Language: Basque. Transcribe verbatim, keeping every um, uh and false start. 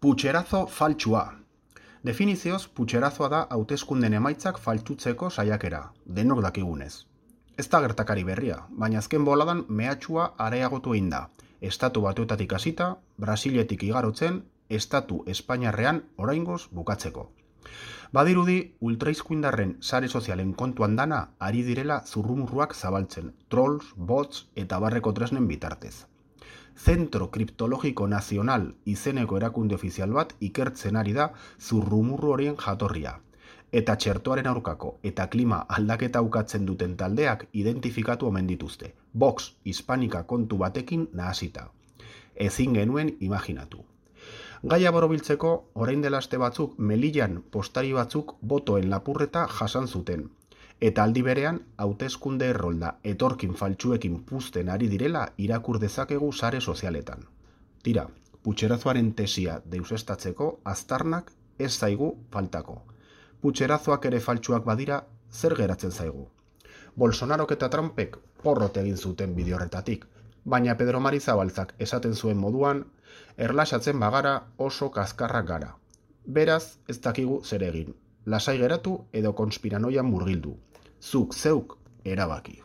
Putxerazo faltsua. Definizioz, putxerazoa da hauteskunden emaitzak faltsutzeko saiakera, denok dakigunez. Ez da gertakari berria, baina azken boladan mehatxua areagotu egin da. Estatu Batuetatik hasita, Brasiletik igarotzen, Estatu Espainiarrean oraingoz bukatzeko. Badirudi, ultraizkuindarren sare sozialen kontuan dana ari direla zurrumurruak zabaltzen, trolls, bots eta barreko tresnen bitartez. Zentro Kriptologiko Nazional izeneko erakunde ofizial bat ikertzen ari da zurrumurru horien jatorria. Eta txertoaren aurkako eta klima aldaketa ukatzen duten taldeak identifikatu omen dituzte. Vox Hispanika kontu batekin nahasita. Ezin genuen imaginatu. Gaia borobiltzeko, orain dela aste batzuk Melillan postari batzuk botoen lapurreta jasan zuten. Eta aldi berean, hauteskunde errolda etorkin faltsuekin puzten ari direla irakur dezakegu sare sozialetan. Tira, putxerazoaren tesia deusestatzeko aztarnak ez zaigu faltako. Putxerazoak ere faltsuak badira, zer geratzen zaigu? Bolsonarok eta Trumpek porrot egin zuten bide horretatik, baina Pedro Mari Zabaltzak esaten zuen moduan, erlaxatzen bagara oso kaskarrak gara. Beraz, ez dakigu zer egin. Lasai geratu edo konspiranoian murgildu. Zuk zeuk erabaki.